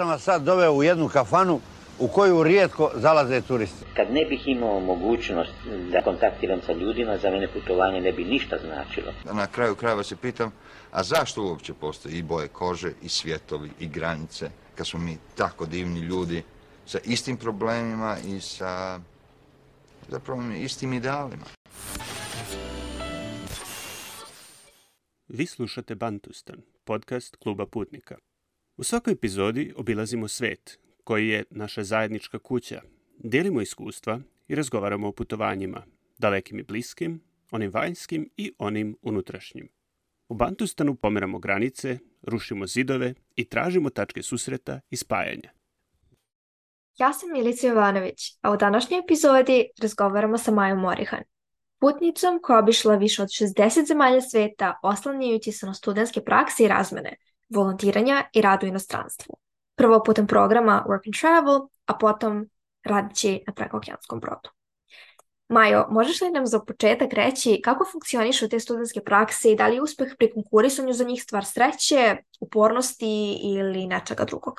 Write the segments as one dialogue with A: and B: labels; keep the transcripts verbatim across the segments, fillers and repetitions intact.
A: sam vas sad doveo u jednu kafanu u koju rijetko zalaze turisti.
B: Kad ne bih imao mogućnost da kontaktiram sa ljudima, za mene putovanje ne bi ništa značilo.
C: Na kraju krajeva se pitam, a zašto uopće postoji i boje kože, i svjetovi, i granice, kad smo mi tako divni ljudi sa istim problemima i sa zapravo istim idealima.
D: Vi slušate Bantustan, podcast Kluba putnika. U svakoj epizodi obilazimo svijet, koji je naša zajednička kuća. Dijelimo iskustva i razgovaramo o putovanjima, dalekim i bliskim, onim vanjskim i onim unutrašnjim. U Bantustanu pomeramo granice, rušimo zidove i tražimo tačke susreta i spajanja.
E: Ja sam Milica Jovanović, a u današnjoj epizodi razgovaramo sa Majom Morihan, putnicom koja je obišla više od šezdeset zemalja svijeta oslanjajući se na studentske prakse i razmene, volontiranja i rad u inostranstvu. Prvo putem programa Work and Travel, a potom radići na prekookeanskom brodu. Majo, možeš li nam za početak reći kako funkcionišu te studentske prakse i da li je uspeh pri konkurisanju za njih stvar sreće, upornosti ili nečega drugog?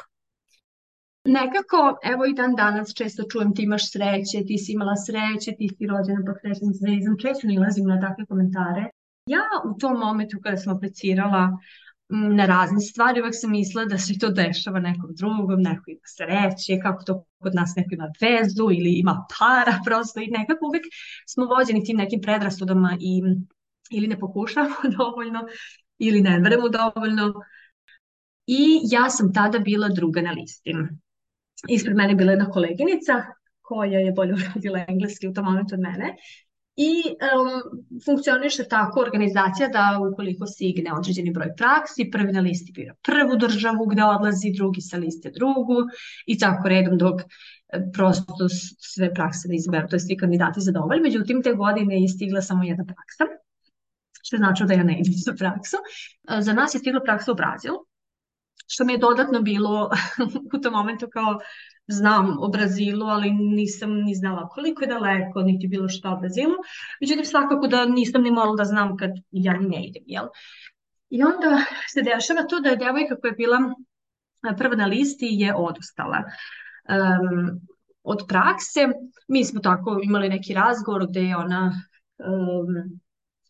F: Nekako, evo i dan danas često čujem ti imaš sreće, ti si imala sreće, ti si rođena po srećnim zvezdom, često nalazim na takve komentare. Ja u tom momentu kada sam aplicirala na razne stvari, uvek sam mislila da se to dešava nekom drugom, neko ima sreće, kako to kod nas neko ima vezu ili ima para prosto i nekako uvek smo vođeni tim nekim predrasudama i ili ne pokušamo dovoljno ili ne verujemo dovoljno. I ja sam tada bila druga na listi. Ispred mene je bila jedna koleginica koja je bolje uradila engleski u tom momentu od mene. I um, funkcioniše tako organizacija da ukoliko se igne određeni broj praksi, prvi na listi bira prvu državu gde odlazi, drugi sa liste drugu i tako redom dok prosto sve prakse da izberu, to je svi kandidati zadovoljni. Međutim, te godine je stigla samo jedna praksa, što znači da ja ne idem za praksu. Za nas je stigla praksa u Brazil, što mi je dodatno bilo u tom momentu kao znam o Brazilu, ali nisam ni znala koliko je daleko, niti bilo šta o Brazilu. Međutim, svakako da nisam ni morala da znam kad ja ne idem, jel? I onda se dešava to da je devojka koja je bila prva na listi je odustala um, od prakse. Mi smo tako imali neki razgovor gde je ona um,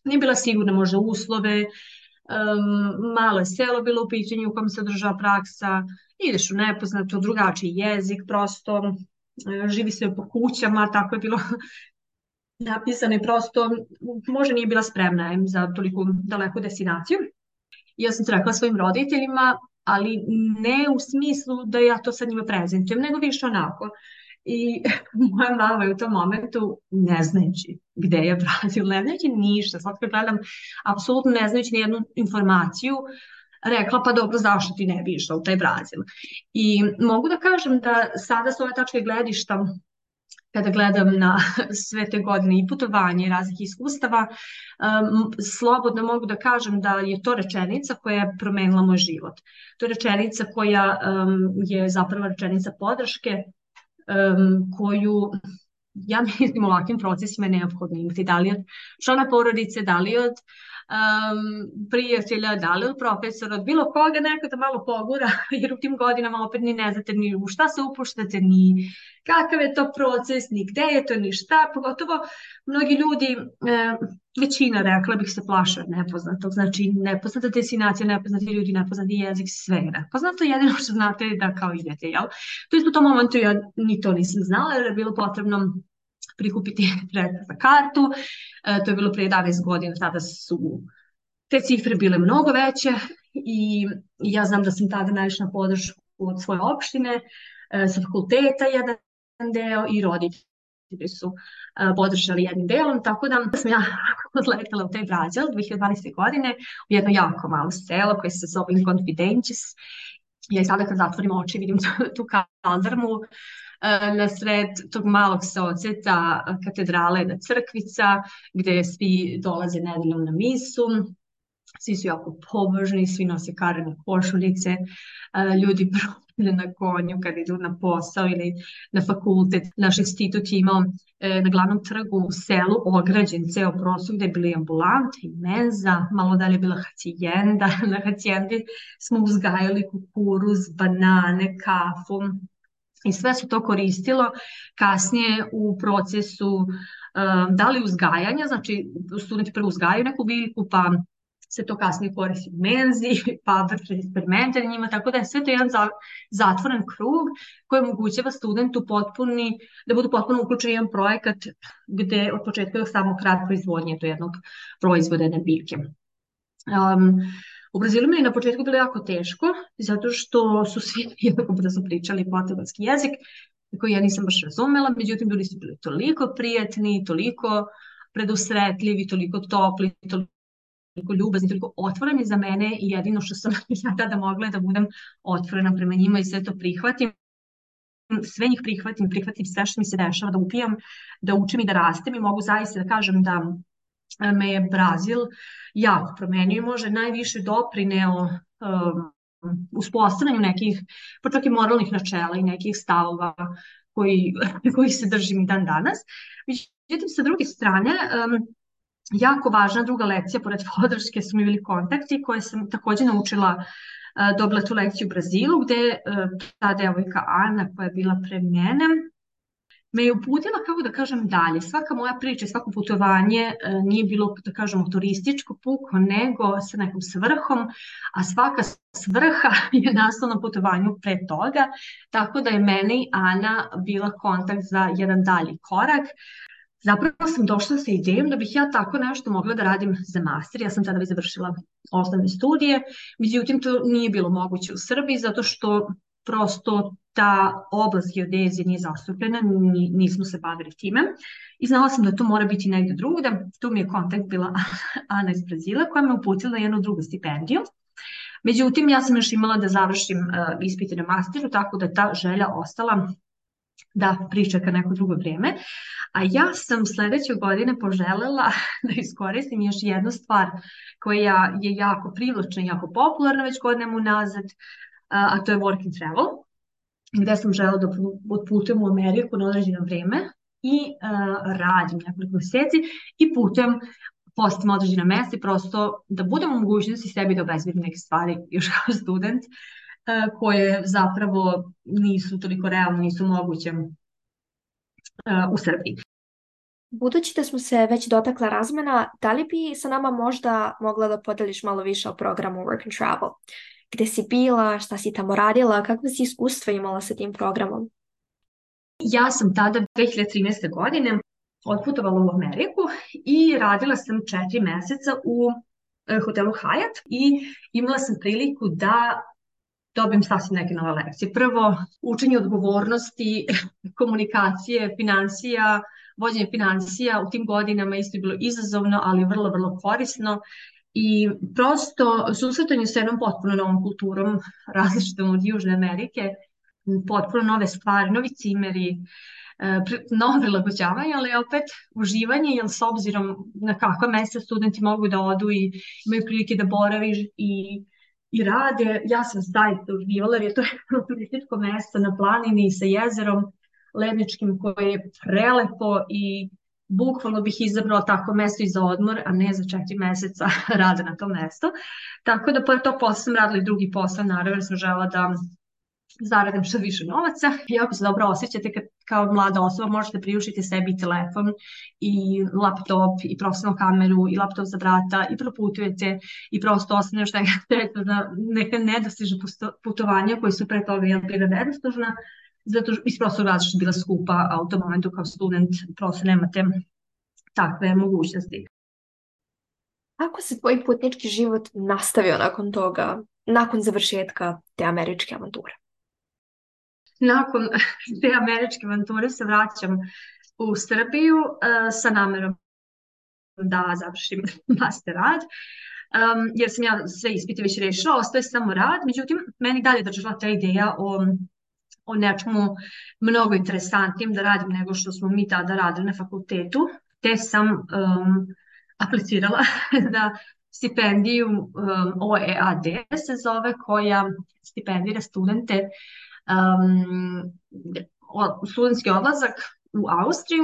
F: nije bila sigurna možda uslove, Um, malo je selo bilo u pitanju u kojem se održava praksa, ideš u nepoznato, drugačiji jezik prosto, živi se po kućama, tako je bilo napisano i prosto možda nije bila spremna za toliko daleku destinaciju. Ja sam to rekla svojim roditeljima, ali ne u smislu da ja to sad njima prezentujem, nego više onako. I moja mama je u tom momentu, ne znajući gde je Brazil, ne znajući ništa, sad kad gledam, apsolutno ne znajući nijednu informaciju, rekla pa dobro, zašto ti ne bi išla u taj Brazil. I mogu da kažem da sada s ove tačke gledišta, kada gledam na sve te godine i putovanje i raznih iskustava, um, slobodno mogu da kažem da je to rečenica koja je promenila moj život. To je rečenica koja um, je zapravo rečenica podrške, Um, koju ja mislim u ovakvim procesima je neophodno imati, da li od člana porodice, da li od um, prijatelja, da li od profesora, od bilo koga neko da malo pogura, jer u tim godinama opet ni ne znate ni u šta se upuštate, ni kakav je to proces, ni gde je to, ni šta, pogotovo mnogi ljudi, e, većina rekla bih se plaše od nepoznatog, znači nepoznata destinacija, nepoznati ljudi, nepoznati jezik, sve je nepoznato, jedino što znate je da kao idete, jel? To je u tom momentu ja ni to nisam znala, jer je bilo potrebno prikupiti sredstva za kartu, e, to je bilo prije jedanaest godina, tada su te cifre bile mnogo veće i ja znam da sam tada naišla na podršku od svoje opštine, e, sa fakulteta jedan deo i roditelji su uh, podržali jednim delom, tako da sam ja odletela u taj Brazil dve hiljade dvanaeste. godine u jedno jako malo selo koje se zove Inconfidentes. Ja i sada kad zatvorim oči vidim tu, tu kazarmu uh, na sred tog malog seoceta, katedrala jedna crkvica gde svi dolaze nedeljom na misu. Svi su jako pobožni, svi nose karene košuljice, ljudi na konju kad idu na posao ili na fakultet. Naš institut je imao e, na glavnom trgu u selu ograđen ceo prostor gde je bili ambulanta i menza, malo dalje je bila hacijenda. Na hacijendi smo uzgajali kukuruz, banane, kafu i sve su to koristilo kasnije u procesu um, da li uzgajanja, znači studenti prvo uzgajaju neku biljku pa se to kasnije koristi u menzi, pa vrše eksperimente na njima, tako da je sve to jedan za, zatvoren krug koji omogućava studentu potpuni, da budu potpuno uključeni u jedan projekat gde od početka do samog kraja proizvodnje do jednog proizvoda jedne biljke. Um, u Brazilu mi je na početku bilo jako teško, zato što su svi jednako brzo pričali portugalski jezik, koji ja nisam baš razumela, međutim ljudi su bili toliko prijatni, toliko predusretljivi, toliko topli, toliko ljubazni, toliko otvoreni za mene i jedino što sam ja tada mogla je da budem otvorena prema njima i sve to prihvatim. Sve njih prihvatim, prihvatim sve što mi se dešava, da upijam, da učim i da rastem i mogu zaista da kažem da me je Brazil jako promenio i može najviše doprineo um, uspostavljanju nekih, pa čak i moralnih načela i nekih stavova koji, koji se držim i dan danas. Međutim, sa druge strane, um, jako važna druga lekcija, pored podrške su mi bili kontakti koje sam takođe naučila, uh, dobila tu lekciju u Brazilu, gde uh, ta devojka Ana koja je bila pre mene, me je uputila, kako da kažem, dalje. Svaka moja priča, svako putovanje nije bilo, da kažemo, turističko puko, nego sa nekom svrhom, a svaka svrha je nastala na putovanju pre toga, tako da je meni Ana bila kontakt za jedan dalji korak. Zapravo sam došla sa idejom da bih ja tako nešto mogla da radim za master. Ja sam tada već završila osnovne studije, međutim to nije bilo moguće u Srbiji zato što prosto ta oblast geodezije nije zastupljena, nismo se bavili time i znala sam da to mora biti negdje drugde. Tu mi je kontakt bila Ana iz Brazila koja me uputila jednu drugu stipendiju. Međutim, ja sam još imala da završim uh, ispite na masteru, tako da je ta želja ostala da pričeka neko drugo vrijeme. A ja sam sledeće godine poželela da iskoristim još jednu stvar koja je jako privlačna i jako popularna već godinama unazad, a to je work and travel, gde sam želela da putujem u Ameriku na određeno vrijeme i uh, radim nekoliko mjeseci i putujem, postim određena mjesta i prosto da budem u mogućnosti sebi da obezbedim neke stvari još kao student uh, koje zapravo nisu toliko realne, nisu moguće uh, u Srbiji.
E: Budući da smo se već dotakla razmena, da li bi sa nama možda mogla da podeliš malo više o programu Work and Travel? Gde si bila, šta si tamo radila, kakve si iskustva imala sa tim programom?
F: Ja sam tada dve hiljade trinaeste. godine otputovala u Ameriku i radila sam četiri mjeseca u e, hotelu Hyatt i imala sam priliku da dobijem sasvim neke nove lekcije. Prvo, učenje odgovornosti, komunikacije, financija, vođenje financija u tim godinama isto je bilo izazovno, ali vrlo, vrlo korisno. I prosto susretanje sa jednom potpuno novom kulturom, različitom od Južne Amerike, potpuno nove stvari, novi cimeri, novo prilagođavanje, ali opet uživanje, jer s obzirom na kakva mjesta studenti mogu da odu i imaju prilike da boraviš i, i rade, ja sam zaista uživala, jer je to jedno turističko mjesto na planini sa jezerom ledničkim koje je prelepo i bukvalno bih izabrala tako mjesto i za odmor, a ne za četiri mjeseca rada na tom mjestu. Tako da pored tog posla sam radila i drugi posao, naravno jer sam žela da zaradim što više novaca. I ako se dobro osjećate kad kao mlada osoba možete priuštiti sebi telefon i laptop i profesionalnu kameru i laptop za brata i proputujete i prosto ostaneš na neka nedostižna putovanja koji su pre toga bila nedostižna, zato iz prostog razloga što je bila skupa, a u tom momentu kao student prosto nemate takve mogućnosti.
E: Kako se tvoj putnički život nastavio nakon toga, nakon završetka te američke avanture?
F: Nakon te američke avanture se vraćam u Srbiju uh, sa namerom da završim master rad, um, jer sam ja sve ispite već rešila, ostaje samo rad, međutim meni dalje držala ta ideja o o nečemu mnogo interesantnim da radim nego što smo mi tada radili na fakultetu, te sam um, aplicirala da stipendiju um, O E A D se zove, koja stipendira studente um, o- studentski odlazak u Austriju,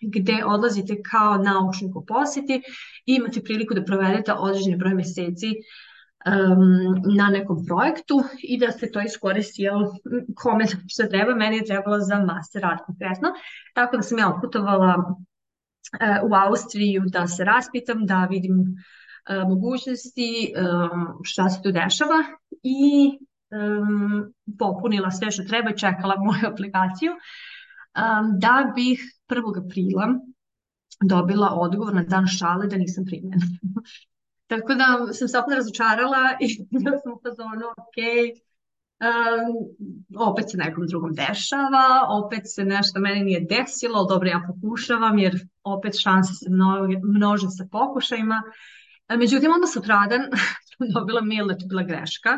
F: gde odlazite kao naučnik u posjeti i imate priliku da provedete određeni broj mjeseci um, na nekom projektu i da se to iskoristi, jel, kome što treba. Meni je trebalo za master rad konkretno, tako da sam ja otputovala uh, u Austriju da se raspitam, da vidim uh, mogućnosti, um, šta se tu dešava i um, popunila sve što treba i čekala moju aplikaciju um, da bih prvog aprila dobila odgovor na dan šale da nisam primljena. Tako da sam se opet razočarala i da sam u fazonu, ok, um, opet se nekom drugom dešava, opet se nešto meni nije desilo, ali dobro, ja pokušavam jer opet šanse se množe, množe sa pokušajima. Međutim, onda sutradan sam dobila mail da to bila greška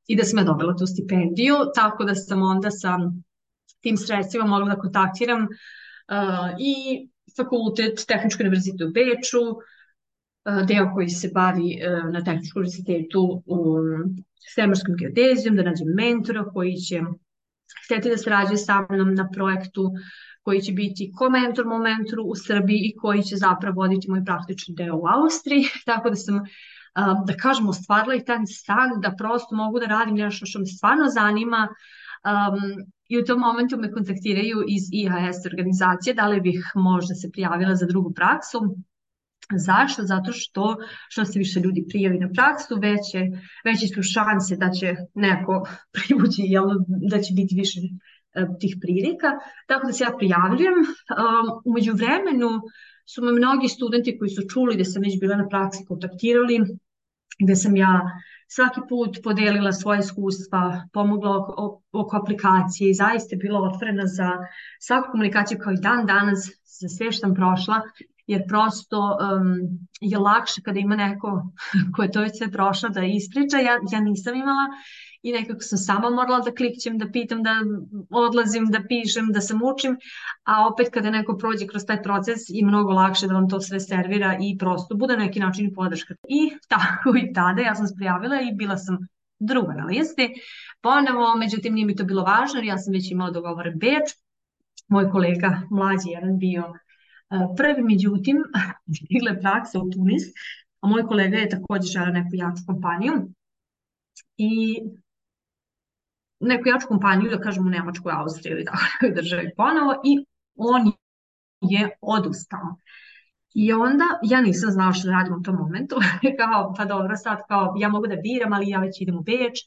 F: i da sam ja dobila tu stipendiju, tako da sam onda sa tim sredstvima mogla da kontaktiram uh, i fakultet, Tehnički univerzitet u Beču, uh, deo koji se bavi uh, na Tehničkom univerzitetu u svemirskom geodezijom, da nađem mentora koji će hteti da sarađuje sa mnom na projektu, koji će biti ko mentor mom mentoru u Srbiji i koji će zapravo voditi moj praktični deo u Austriji. Tako da sam, um, da kažem, ostvarila i taj san da prosto mogu da radim nešto što me stvarno zanima. Um, I u tom momentu me kontaktiraju iz I H S organizacije da li bih možda se prijavila za drugu praksu. Zašto? Zato što što se više ljudi prijavi na praksu, veće, veće su šanse da će neko privući, jel, da će biti više uh, tih prilika. Tako da se ja prijavljujem. Um, u međuvremenu su me mnogi studenti koji su čuli da sam već bila na praksi kontaktirali, gde sam ja svaki put podelila svoje iskustva, pomogla oko, oko aplikacije i zaista je bila otvorena za svaku komunikaciju, kao i dan danas za sve što sam prošla, jer prosto um, je lakše kada ima neko ko je to već sve prošlo da ispriča. Ja, ja nisam imala i nekako sam sama morala da klikćem, da pitam, da odlazim, da pišem, da se mučim, a opet kada neko prođe kroz taj proces i mnogo lakše da vam to sve servira i prosto bude na neki način i podrška. I tako i tada ja sam se prijavila i bila sam druga na listi. Ponovo, međutim, nije mi to bilo važno jer ja sam već imala dogovore Beč. Moj kolega mlađi jedan bio uh, prvi, međutim, stigla je praksa u Tunis, a moj kolega je također želeo neku jaču kompaniju i neku jaču kompaniju, da kažem u Nemačkoj, Austriji ili takvoj državi ponovo, i on je odustao. I onda ja nisam znala što da radim u tom momentu, kao pa dobro sad, kao ja mogu da biram, ali ja već idem u Beč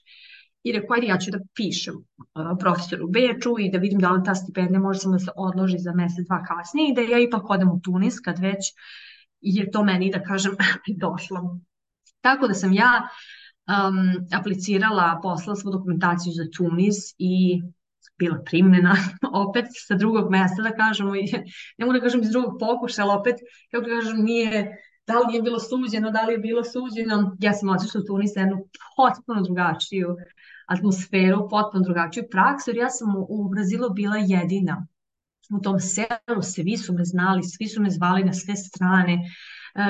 F: i rekao ajde ja ću da pišem uh, profesoru u Beču i da vidim da li ta stipendija može samo da se odloži za mjesec, dva kasnije i da ja ipak odem u Tunis kad već je to meni, da kažem, došlo. Tako da sam ja Um, aplicirala, poslala svu dokumentaciju za Tunis i bila primljena opet sa drugog mjesta, da kažemo, ne mogu da kažem iz drugog pokušaja, ali opet, kako da kažem, nije, da li je bilo suđeno, da li je bilo suđeno. Ja sam otišla u Tunis jednu potpuno drugačiju atmosferu, potpuno drugačiju praksu, jer ja sam u, u Brazilu bila jedina. U tom selu svi su me znali, svi su me zvali na sve strane.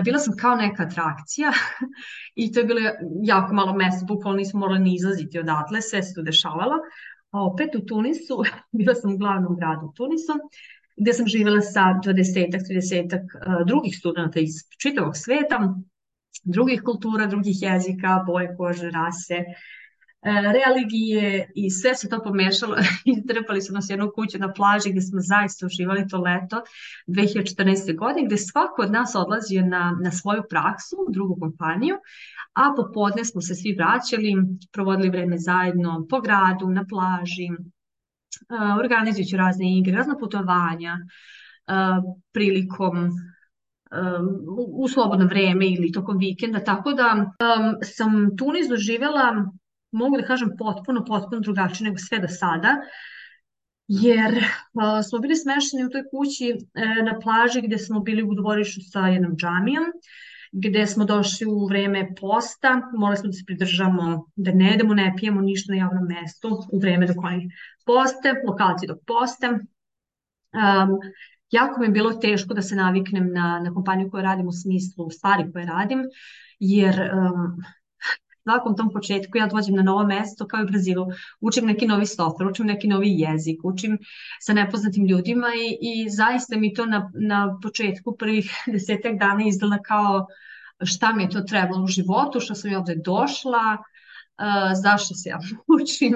F: Bila sam kao neka atrakcija i to je bilo jako malo mjesta, bukvalno nismo morali ni izlaziti odatle, sve se tu dešavalo. A opet u Tunisu, bila sam u glavnom gradu u Tunisu, gdje sam živjela sa dvadesetak, tridesetak drugih studenta iz čitavog sveta, drugih kultura, drugih jezika, boje kože, rase, religije i sve se to pomešalo. Istrpali su nas jednu kuću na plaži gdje smo zaista uživali to leto dve hiljade četrnaeste. godine, gdje svako od nas odlazio na, na svoju praksu u drugu kompaniju, a popodne smo se svi vraćali, provodili vreme zajedno po gradu, na plaži, uh, organizujući razne igre, razna putovanja, uh, prilikom um, u slobodno vreme ili tokom vikenda, tako da um, sam Tunis doživjela, mogu da kažem, potpuno, potpuno drugačije nego sve do sada, jer uh, smo bili smešteni u toj kući uh, na plaži gdje smo bili u dvorištu sa jednom džamijom, gdje smo došli u vreme posta, morali smo da se pridržamo da ne jedemo, ne pijemo ništa na javnom mjestu u vreme dok oni poste, lokalci dok poste. Um, jako mi je bilo teško da se naviknem na, na kompaniju koju radim u smislu stvari koje radim, jer um, nakon tom početku ja dođem na novo mesto kao i u Brazilu, učim neki novi software, učim neki novi jezik, učim sa nepoznatim ljudima i, i zaista mi to na, na početku prvih desetak dana izgleda kao šta mi je to trebalo u životu, što sam ja ovde došla, Uh, zašto se ja učim,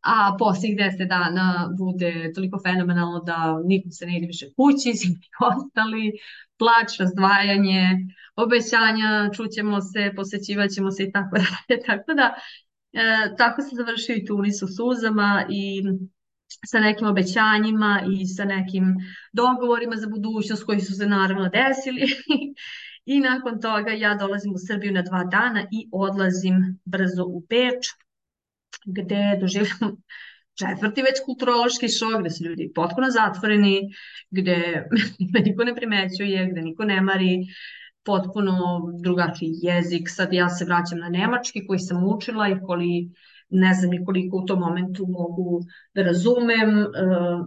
F: a posljednjih deset dana bude toliko fenomenalno da nikom se ne ide više kući, svi ostali, plač, razdvajanje, obećanja, čućemo se, posjećivat ćemo se i tako dalje. Tako da, e, tako se završio i Tunis u suzama i sa nekim obećanjima i sa nekim dogovorima za budućnost koji su se naravno desili. I nakon toga ja dolazim u Srbiju na dva dana i odlazim brzo u Beč, gde doživljam četvrti već kulturološki šok, gde su ljudi potpuno zatvoreni, gde me niko ne primećuje, gde niko ne mari, potpuno drugačiji jezik. Sad ja se vraćam na nemački koji sam učila i koji ne znam ni koliko u tom momentu mogu da razumem. Uh,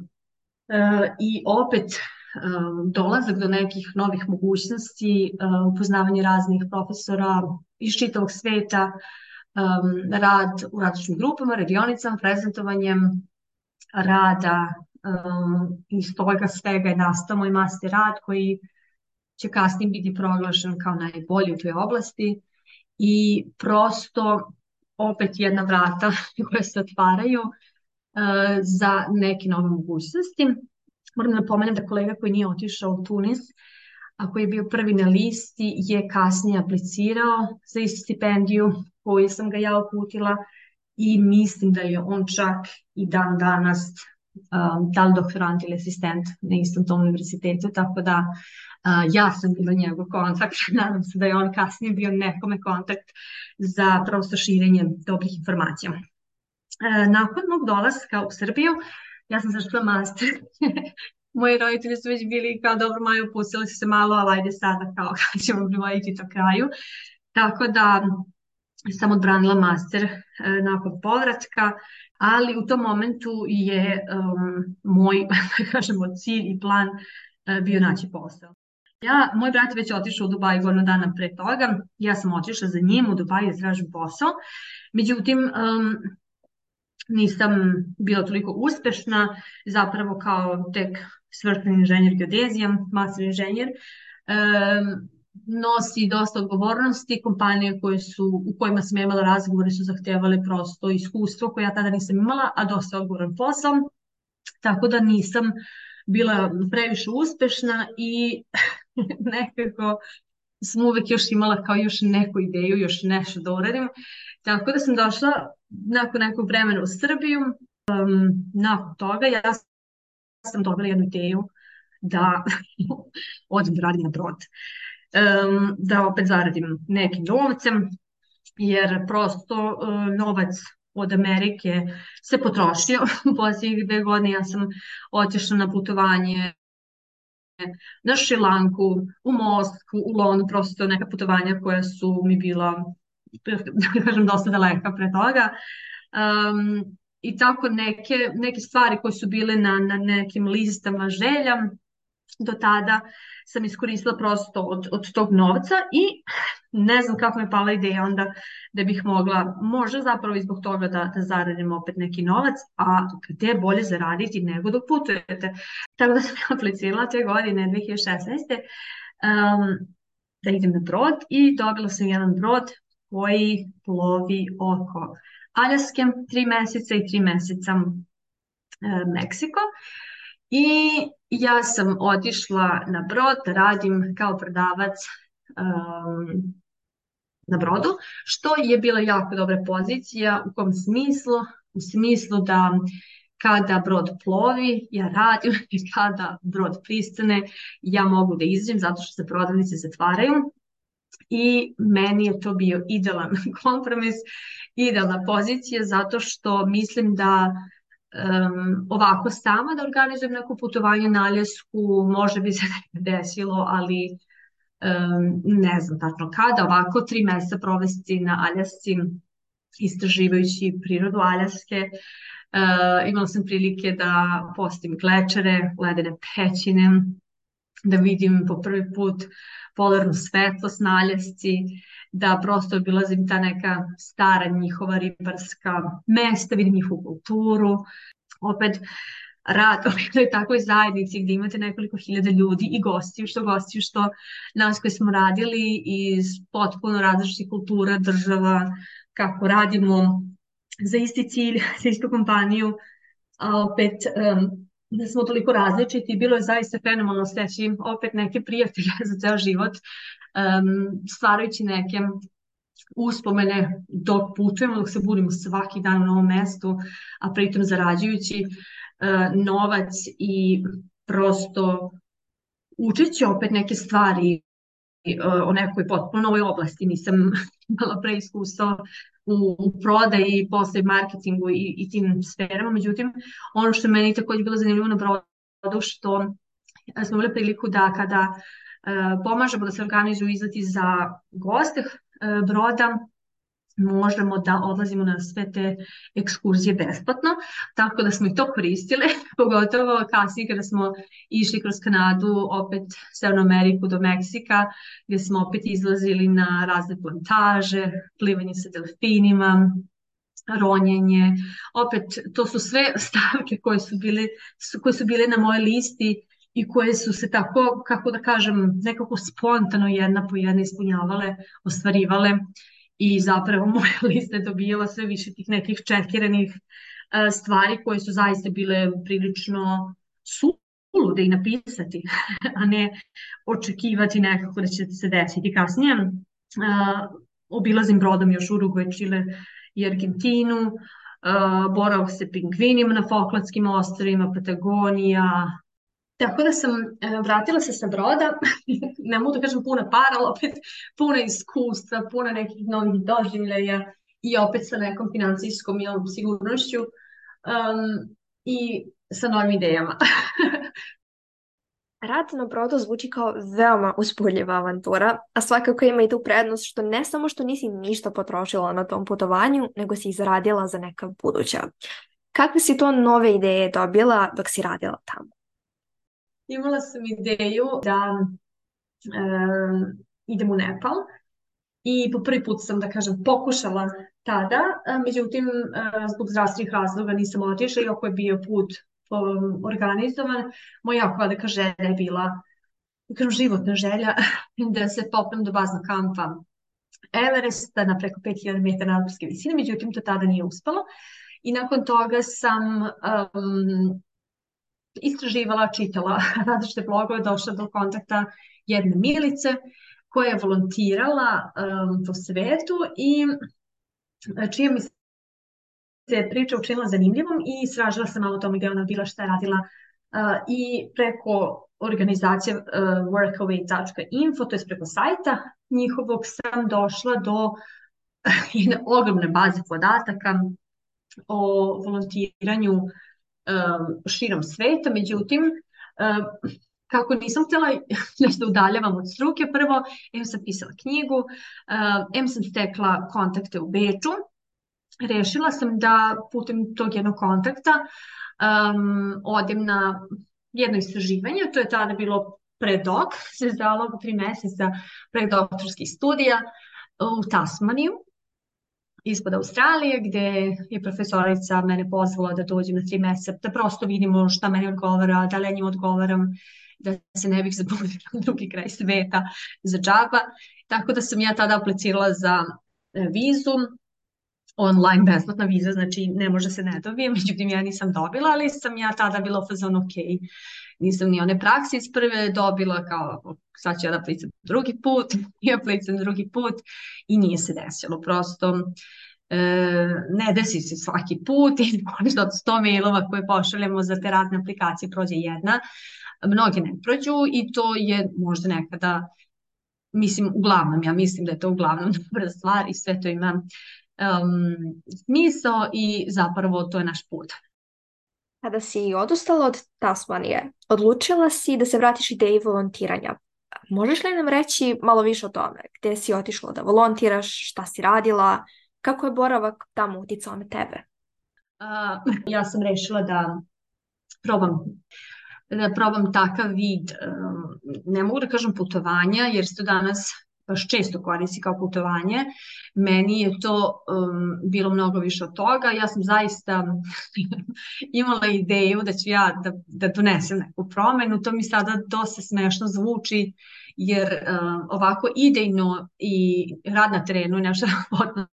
F: uh, I opet Um, dolazak do nekih novih mogućnosti, um, upoznavanje raznih profesora iz čitavog sveta, um, rad u različitim grupama, radionicama, prezentovanjem rada, um, iz toga svega je nastao moj master rad koji će kasnije biti proglašen kao najbolji u toj oblasti i prosto opet jedna vrata koja se otvaraju uh, za neke nove mogućnosti. Moram da napomenem da kolega koji nije otišao u Tunis, a koji je bio prvi na listi, je kasnije aplicirao za istu stipendiju koju sam ga ja uputila i mislim da je on čak i dan danas um, da li doktorant ili asistent na istom tom univerzitetu, tako da uh, ja sam bila njegov kontakt, nadam se da je on kasnije bio nekome kontakt za prosto širenje dobrih informacija. Uh, nakon mog dolaska u Srbiju, ja sam završila master. Moji roditelji su već bili kao dobro Majo, pustili su se malo, ali ajde sada kao kada ćemo privoditi to kraju. Tako da sam odbranila master e, nakon povratka, ali u tom momentu je um, moj, kažemo, cilj i plan e, bio naći posao. Ja, moj brat je već otišao u Dubaj godinu dana pre toga, ja sam otišla za njim u Dubaj da tražim posao. Međutim, um, nisam bila toliko uspešna, zapravo kao tek svršeni inženjer geodezija, master inženjer, um, nosi dosta odgovornosti, kompanije koje su, u kojima sam imala razgovore su zahtevale prosto iskustvo koje ja tada nisam imala, a dosta odgovoran posao, tako da nisam bila previše uspešna i nekako sam uvek još imala kao još neku ideju, još nešto da uradim, tako da sam došla nakon nekog vremena u Srbiju. Um, nakon toga ja sam dobila jednu ideju da odem da radim na brod. Um, da opet zaradim nekim novcem, jer prosto um, novac od Amerike se potrošio. U posljednjih dve godine ja sam otišla na putovanje na Šrilanku, u Moskvu, u London, prosto neka putovanja koja su mi bila, da kažem, dosta daleka pre toga. Um, I tako neke, neke stvari koje su bile na, na nekim listama želja, do tada sam iskoristila prosto od, od tog novca i ne znam kako me pala ideja onda da bih mogla, možda zapravo i zbog toga da, da zaradim opet neki novac, a gde je bolje zaraditi nego dok putujete. Tako da sam aplicirala te godine dve hiljade šesnaeste. Um, da idem na brod i dobila sam jedan brod koji plovi oko Aljaske tri meseca i tri meseca e, Meksiko. I ja sam otišla na brod da radim kao prodavac um, na brodu, što je bila jako dobra pozicija. U kom smislu? U smislu da kada brod plovi, ja radim i kada brod pristane, ja mogu da izađem zato što se prodavnice zatvaraju. I meni je to bio idealan kompromis, idealna pozicija, zato što mislim da um, ovako sama da organizujem neko putovanje na Aljasku, možda bi se desilo, ali um, ne znam tačno kada, ovako tri meseca provesti na Aljasci, istraživajući prirodu Aljaske, imala sam prilike da postim glečere, ledene pećine, da vidim po prvi put polarnu svetlost na Aljasci, da prosto obilazim ta neka stara njihova ribarska mesta, vidim njihovu kulturu. Opet rad u jednoj takvoj zajednici gdje imate nekoliko hiljada ljudi i gostiju, što gostiju, što nas koji smo radili iz potpuno različitih kultura, država, kako radimo za isti cilj, za istu kompaniju, a opet um, da smo toliko različiti, bilo je zaista fenomenalno steći opet neke prijatelje za ceo život, um, stvarajući neke uspomene dok putujemo, dok se budimo svaki dan u novom mestu, a pritom zarađujući uh, novac i prosto učeći opet neke stvari uh, o nekoj potpuno novoj oblasti. Nisam imala pre iskustva u, u prodaji, posle marketingu i, i tim sferama, međutim ono što je meni također bilo zanimljivo na brodu, što smo imali priliku da kada uh, pomažemo da se organizuju izleti za goste uh, broda, možemo da odlazimo na sve te ekskurzije besplatno, tako da smo i to koristili, pogotovo kasnije kada smo išli kroz Kanadu, opet Severnu Ameriku do Meksika, gdje smo opet izlazili na razne plantaže, plivanje sa delfinima, ronjenje, opet to su sve stavke koje su bile, koje su bile na mojoj listi i koje su se tako, kako da kažem, nekako spontano jedna po jedna ispunjavale, ostvarivale. I zapravo moja lista je dobijala sve više tih nekih čekiranih uh, stvari koje su zaista bile prilično sulude i napisati, a ne očekivati nekako da će se desiti kasnije. Uh, obilazim brodom još Urugvaj, Čile i Argentinu, uh, boravak se pingvinima na Falklandskim ostrvima, Patagonija. Tako da sam e, vratila se sa broda, ne mogu da kažem puna para, ali opet puna iskustva, puna nekih novih doživljaja i opet sa nekom financijskom jel, sigurnošću um, i sa novim idejama.
E: Rad na brodu zvuči kao veoma uzbudljiva avantura, a svakako ima i tu prednost što ne samo što nisi ništa potrošila na tom putovanju, nego si izradila za neka buduća. Kakve si to nove ideje dobila dok si radila tamo?
F: Imala sam ideju da e, idem u Nepal i po prvi put sam, da kažem, pokušala tada, međutim, e, zbog zdravstvenih razloga nisam otišla, iako je bio put um, organizovan. Moja jako velika želja je bila, da kažem, životna želja da se popnem do baznog kampa Everesta na preko pet hiljada metara nadmorske visine, međutim, to tada nije uspelo. I nakon toga sam um, istraživala, čitala različite blogove, došla do kontakta jedne Milice koja je volontirala um, po svetu i čija mi se priča učinila zanimljivom i istražila sam malo o tome gdje ona bila, šta je radila uh, i preko organizacije uh, workaway dot info, to je preko sajta njihovog, sam došla do jedne ogromne baze podataka o volontiranju um, širom sveta, međutim um, kako nisam htjela nešto udaljavam od struke, prvo, em sam pisala knjigu, uh, em sam stekla kontakte u Beču, rešila sam da putem tog jednog kontakta um, odem na jedno istraživanje, to je tada bilo predok, se zdalo tri meseca predoktorskih studija u Tasmaniju, ispod Australije, gdje je profesorica mene pozvala da dođem na tri meseca, da prosto vidimo šta meni odgovara, da li ja njim odgovaram, da se ne bih zabudila u drugi kraj sveta za džaba. Tako da sam ja tada aplicirala za vizu, online besplatna viza, znači ne može se ne dobije, međutim ja nisam dobila, ali sam ja tada bila u fazonu ok, nisam ni one prakse iz prve dobila, kao sad ću ja da aplicam drugi put, i aplicam drugi put i nije se desilo, prosto e, ne desi se svaki put i možda od sto mailova koje pošaljemo za te razne aplikacije prođe jedna, mnoge ne prođu i to je možda nekada, mislim uglavnom, ja mislim da je to uglavnom dobra stvar i sve to ima Um, smisao i zapravo to je naš put.
E: Kada si odustala od Tasmanije, odlučila si da se vratiš ideji volontiranja. Možeš li nam reći malo više o tome? Gdje si otišla da volontiraš, šta si radila, kako je boravak tamo uticao na tebe?
F: A, ja sam rešila da probam, da probam takav vid, um, ne mogu da kažem putovanja, jer se to danas baš često koristi kao putovanje. Meni je to um, bilo mnogo više od toga. Ja sam zaista imala ideju da ću ja da, da donesem neku promenu. To mi sada dosta smešno zvuči, jer um, ovako idejno i rad na terenu je nešto potpuno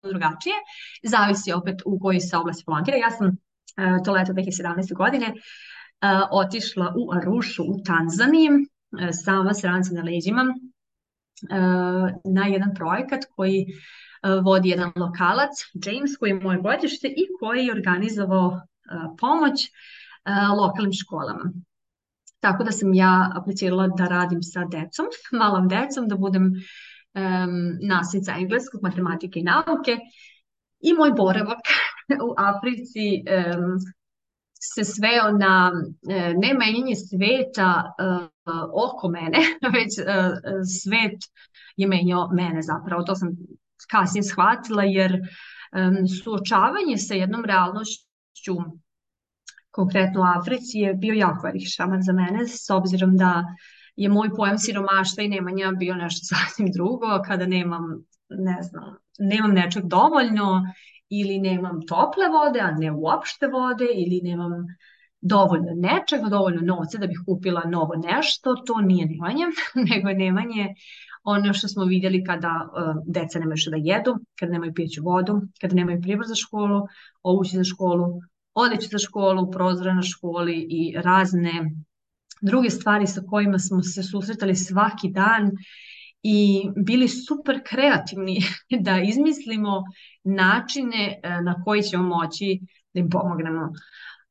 F: drugačije. Zavisi opet u kojoj se oblasti volontira. Ja sam uh, to leto dve hiljade sedamnaeste. godine uh, otišla u Arušu u Tanzaniji, uh, sama s rancem na leđima, uh, na jedan projekat koji uh, vodi jedan lokalac, James, koji je moje godište i koji je organizovao uh, pomoć uh, lokalnim školama. Tako da sam ja aplicirala da radim sa decom, malom decom, da budem um, nastavnica engleskog, matematike i nauke. I moj boravak u Africi um, se sveo na uh, ne menjanje sveta uh, oko mene, već uh, svet je menjao mene zapravo. To sam kasnije shvatila, jer um, suočavanje sa jednom realnošću, konkretno u Africi, je bio jako velik šamar za mene, s obzirom da je moj pojam siromaštva i nemanja bio nešto sasvim drugo, kada nemam, ne znam, nemam nečeg dovoljno, ili nemam tople vode, a ne uopšte vode, ili nemam dovoljno nečega, dovoljno novca da bih kupila novo nešto. To nije nemanje, nego je nemanje ono što smo vidjeli kada uh, deca nemaju što da jedu, kada nemaju pijeću vodu, kada nemaju pribor za školu, obuće za školu, odeću za školu, prozore na školi i razne druge stvari sa kojima smo se susretali svaki dan i bili super kreativni da izmislimo načine na koji ćemo moći da im pomognemo.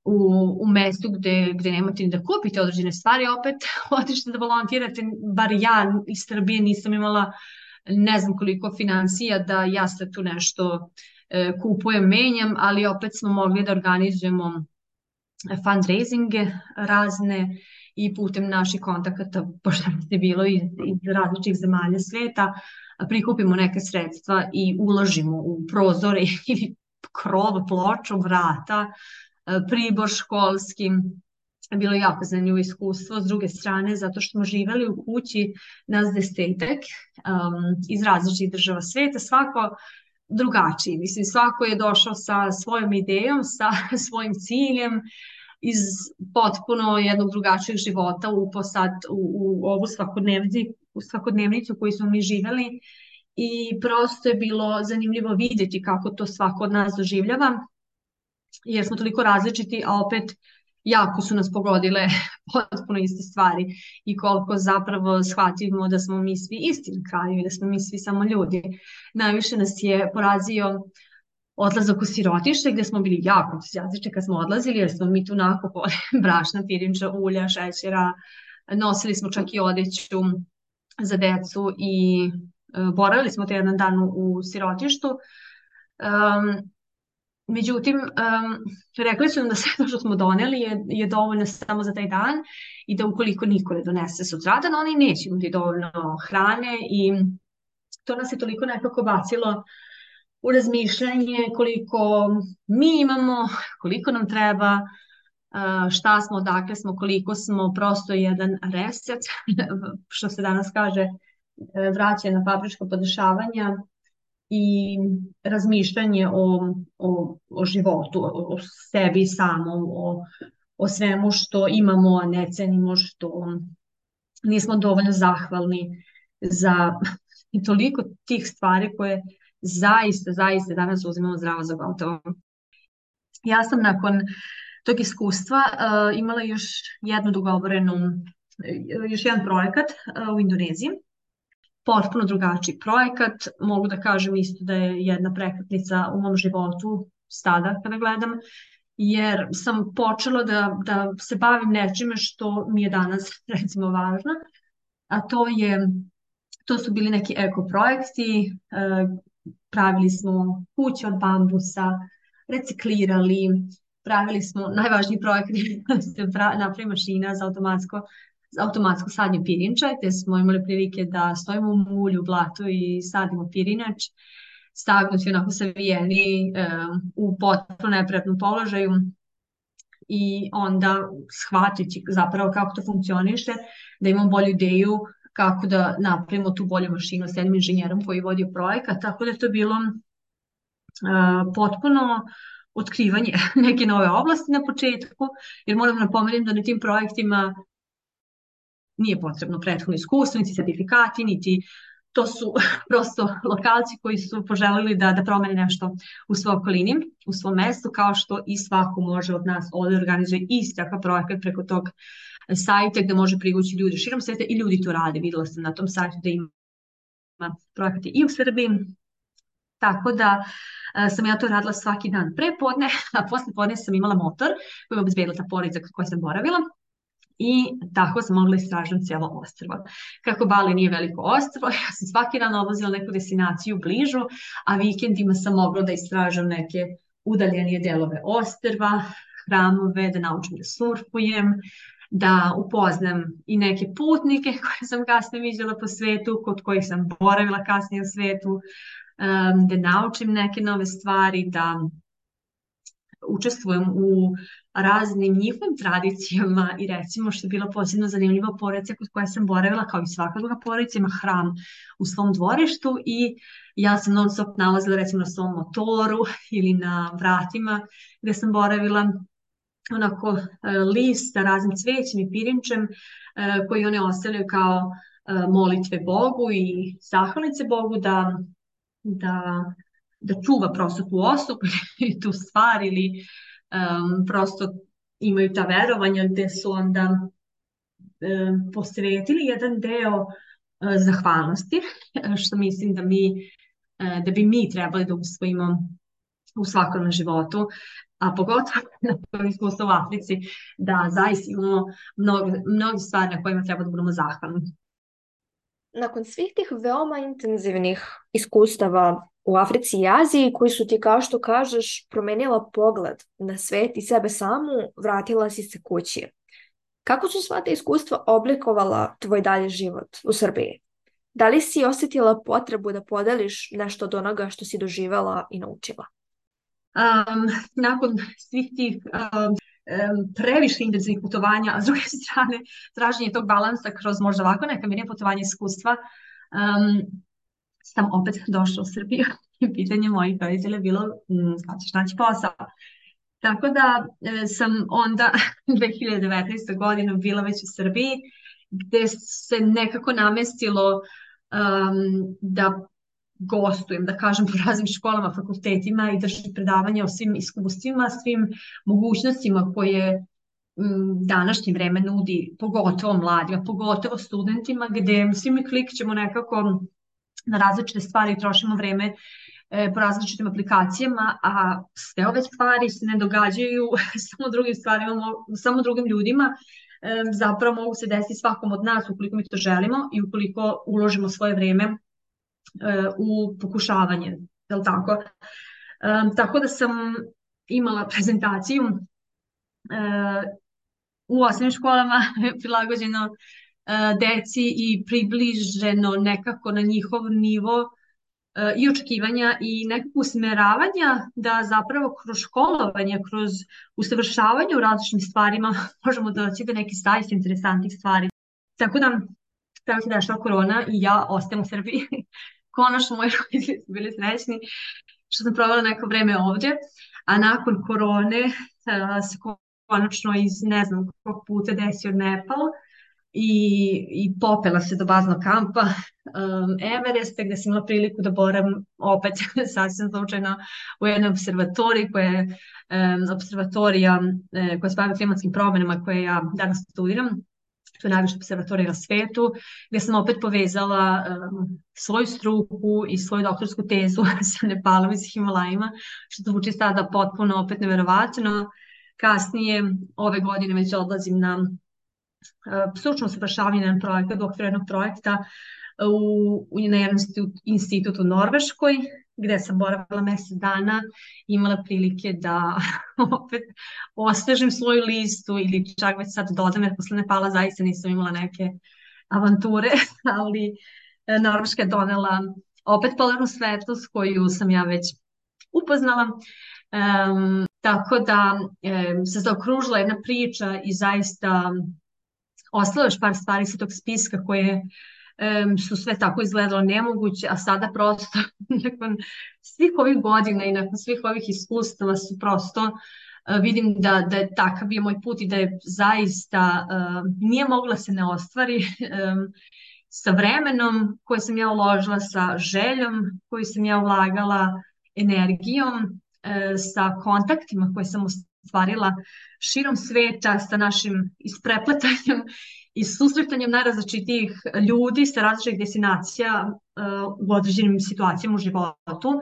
F: U, u mestu gde, gde nemate ni da kupite određene stvari, opet otište da volontirate, bar ja iz Srbije nisam imala ne znam koliko financija da ja sad tu nešto e, kupujem, menjam, ali opet smo mogli da organizujemo fundraisinge razne i putem naših kontakata, pošto je bilo iz, iz različitih zemalja sveta, prikupimo neke sredstva i uložimo u prozore ili krov, ploču, vrata, pribor školski. Bilo je jako zanimljivo iskustvo s druge strane, zato što smo živjeli u kući nas desetak um, iz različitih država sveta, svako drugačiji. Mislim, svako je došao sa svojom idejom, sa svojim ciljem, iz potpuno jednog drugačijeg života u, posad, u, u ovu svakodnevnicu, u svakodnevnicu koju smo mi živjeli, i prosto je bilo zanimljivo vidjeti kako to svako od nas doživljava, jer smo toliko različiti, a opet jako su nas pogodile potpuno iste stvari i koliko zapravo shvatimo da smo mi svi isti na kraju i da smo mi svi samo ljudi. Najviše nas je porazio odlazak u sirotište, gdje smo bili jako entuzijastični kad smo odlazili, jer smo mi tu nakupali brašna, pirinča, ulja, šećera, nosili smo čak i odeću za decu i uh, boravili smo te jedan dan u, u sirotištu. Um, Međutim, um, rekli su nam da sve to što smo doneli je, je dovoljno samo za taj dan i da ukoliko niko ne donese sutradan, oni neće imati dovoljno hrane, i to nas je toliko nekako bacilo u razmišljanje koliko mi imamo, koliko nam treba, šta smo, odakle smo, koliko smo, prosto jedan reset, što se danas kaže, vraćanje na fabrička podešavanja i razmišljanje o, o, o životu, o, o sebi samom, o, o svemu što imamo, a ne cenimo, što nismo dovoljno zahvalni za i toliko tih stvari koje zaista, zaista danas uzimamo zdravo za gotovo. Ja sam nakon tog iskustva uh, imala još jednu dogovorenu, još jedan projekat uh, u Indoneziji. Potpuno drugačiji projekat, mogu da kažem isto da je jedna prekretnica u mom životu sada kada gledam, jer sam počela da, da se bavim nečime što mi je danas recimo važno, a to je, to su bili neki eko projekti, uh, pravili smo kuće od bambusa, reciklirali, pravili smo, najvažniji projekt je napravi mašina za automatsko, za automatsko sadnje pirinča, gdje smo imali prilike da stojimo u mulju, blatu i sadimo pirinač. sagnuti, onako savijeni um, u potpuno neprijatnom položaju i onda shvatiti zapravo kako to funkcioniše, da imam bolju ideju kako da napravimo tu bolju mašinu s jednim inženjerom koji je vodio projekat, tako da je to bilo uh, potpuno otkrivanje neke nove oblasti na početku, jer moram napomenuti da na tim projektima nije potrebno prethodno iskustvo, niti sertifikati, niti to su prosto lokalci koji su poželili da, da promene nešto u svojoj okolini, u svom mestu, kao što i svako može od nas ovdje organizuje isti takav projekat preko tog sajta gde može privući ljudi širom sveta i ljudi to rade. Videla sam na tom sajtu da ima projekate i u Srbiji, tako da uh, sam ja to radila svaki dan pre podne, a posle podne sam imala motor koji je obezbedila ta porodica koja sam boravila. I tako sam mogla istražiti cijelo ostrvo. Kako Bali nije veliko ostrvo, ja sam svaki dan odlazila neku destinaciju bližu, a vikendima sam mogla da istražam neke udaljenije delove ostrva, hramove, da naučim da surfujem, da upoznam i neke putnike koje sam kasnije viđala po svetu, kod kojih sam boravila kasnije u svetu, da naučim neke nove stvari, da učestvujem u raznim njihovim tradicijama i recimo što je bilo posebno zanimljivo, porodica kod koje sam boravila, kao i svaka druga porodica, ima hram u svom dvorištu i ja sam non stop nalazila recimo na svom motoru ili na vratima gde sam boravila onako list sa raznim cvećem i pirinčem koji one ostavljaju kao molitve Bogu i zahvalnice Bogu da, da da čuva prosto tu osobu i tu stvar ili um, prosto imaju ta verovanja gde su onda um, posvetili jedan deo uh, zahvalnosti, što mislim da mi uh, da bi mi trebali da usvojimo u svakodnevnom životu, a pogotovo na tom iskustvu u Africi, da zaista imamo mnogo, mnogo stvari na kojima treba da budemo zahvalni.
E: Nakon svih tih veoma intenzivnih iskustava u Africi i Aziji, koji su ti, kao što kažeš, promenila pogled na svet i sebe samu, vratila si se kući. Kako su sva ta iskustva oblikovala tvoj dalji život u Srbiji? Da li si osjetila potrebu da podeliš nešto od onoga što si doživela i naučila?
F: Um, nakon svih tih um, previše intenzivnih putovanja, a s druge strane traženje tog balansa kroz možda ovako neka mirnija putovanja iskustva, um, sam opet došla u Srbiju i pitanje mojih roditelja je bilo kada ćeš naći posao. Tako da e, sam onda dve hiljade devetnaeste. godine bila već u Srbiji, gde se nekako namestilo um, da gostujem, da kažem, po raznim školama, fakultetima i držim predavanja o svim iskustvima, svim mogućnostima koje m, današnje vreme nudi, pogotovo mladima, pogotovo studentima, gde svi mi klikćemo nekako na različite stvari i trošimo vreme e, po različitim aplikacijama, a sve ove stvari se ne događaju samo drugim stvarima, samo drugim ljudima, e, zapravo mogu se desiti svakom od nas ukoliko mi to želimo i ukoliko uložimo svoje vreme e, u pokušavanje, je li tako? E, tako da sam imala prezentaciju e, u osnovnim školama prilagođeno deci i približeno nekako na njihov nivo i očekivanja i nekako usmeravanja da zapravo kroz školovanje, kroz usavršavanje u različitim stvarima možemo doći do nekih zaista interesantnih stvari. Tako da, tako se dešla korona i ja ostajem u Srbiji. Konačno moji roditelji su bili srećni što sam provela neko vreme ovdje, a nakon korone se konačno iz ne znam kog puta desio Nepal, I, i popela se do baznog kampa um, Everesta, gde sam imala priliku da boravim opet sasvim slučajno u jednoj observatoriji koja je um, observatorija um, koja se bavi klimatskim promjenama koje ja danas studiram. To je najviša observatorija na svetu, gde sam opet povezala um, svoju struku i svoju doktorsku tezu sa Nepalom i sa Himalajima, što zvuči sada potpuno opet neverovatno. Kasnije ove godine već odlazim na stručno usavršavanje na projekat, u okviru jednog projekta u, u, na jednom institutu u Norveškoj, gde sam boravila mjesec dana i imala prilike da opet osvežim svoju listu ili čak već sad dodam, jer posle Nepala zaista nisam imala neke avanture, ali Norveška je donela opet polarnu svetlost koju sam ja već upoznala. Um, tako da um, se zaokružila jedna priča i zaista ostalo još par stvari sa tog spiska koje um, su sve tako izgledalo nemoguće, a sada prosto nakon svih ovih godina i nakon svih ovih iskustava su prosto uh, vidim da, da je takav je moj put i da je zaista uh, nije mogla se ne ostvari um, sa vremenom koje sam ja uložila, sa željom koju sam ja ulagala, energijom, sa kontaktima koje sam ostvarila širom sveta, sa našim isprepletanjem i susretanjem najrazličitijih ljudi sa različitih destinacija u određenim situacijama u životu,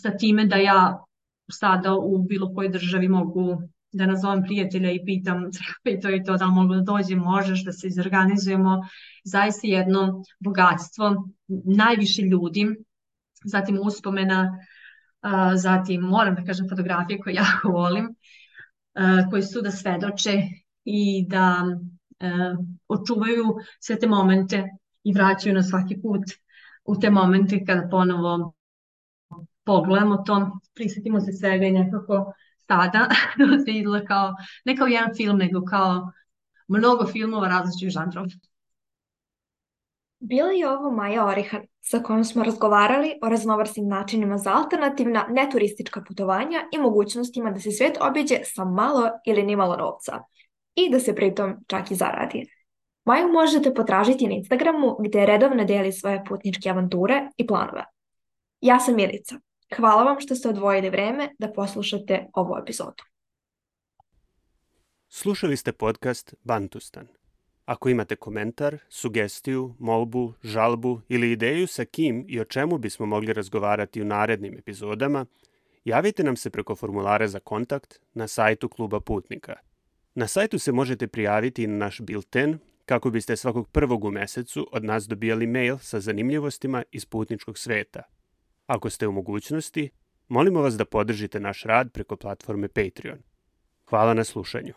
F: sa time da ja sada u bilo kojoj državi mogu da nazovem prijatelja i pitam i to i to, da li mogu da dođem, možeš da se izorganizujemo, zaista jedno bogatstvo, najviše ljudi, zatim uspomena, Uh, zatim moram da kažem fotografije koje jako volim, uh, koji su da svedoče i da uh, očuvaju sve te momente i vraćaju nas svaki put u te momente kada ponovo pogledamo to, prisjetimo se svega i nekako sada se izgleda kao, ne kao jedan film, nego kao mnogo filmova različitih žanrova.
E: Bila je ovo Maja Orihan, sa kojom smo razgovarali o raznovrsnim načinima za alternativna neturistička putovanja i mogućnostima da se svijet obiđe sa malo ili nimalo novca i da se pritom čak i zaradi. Maju možete potražiti na Instagramu gdje redovno deli svoje putničke avanture i planove. Ja sam Milica. Hvala vam što ste odvojili vreme da poslušate ovu epizodu.
D: Slušali ste podcast Bantustan. Ako imate komentar, sugestiju, molbu, žalbu ili ideju sa kim i o čemu bismo mogli razgovarati u narednim epizodama, javite nam se preko formulara za kontakt na sajtu Kluba Putnika. Na sajtu se možete prijaviti na naš bilten kako biste svakog prvog u mesecu od nas dobijali mail sa zanimljivostima iz putničkog sveta. Ako ste u mogućnosti, molimo vas da podržite naš rad preko platforme Patreon. Hvala na slušanju.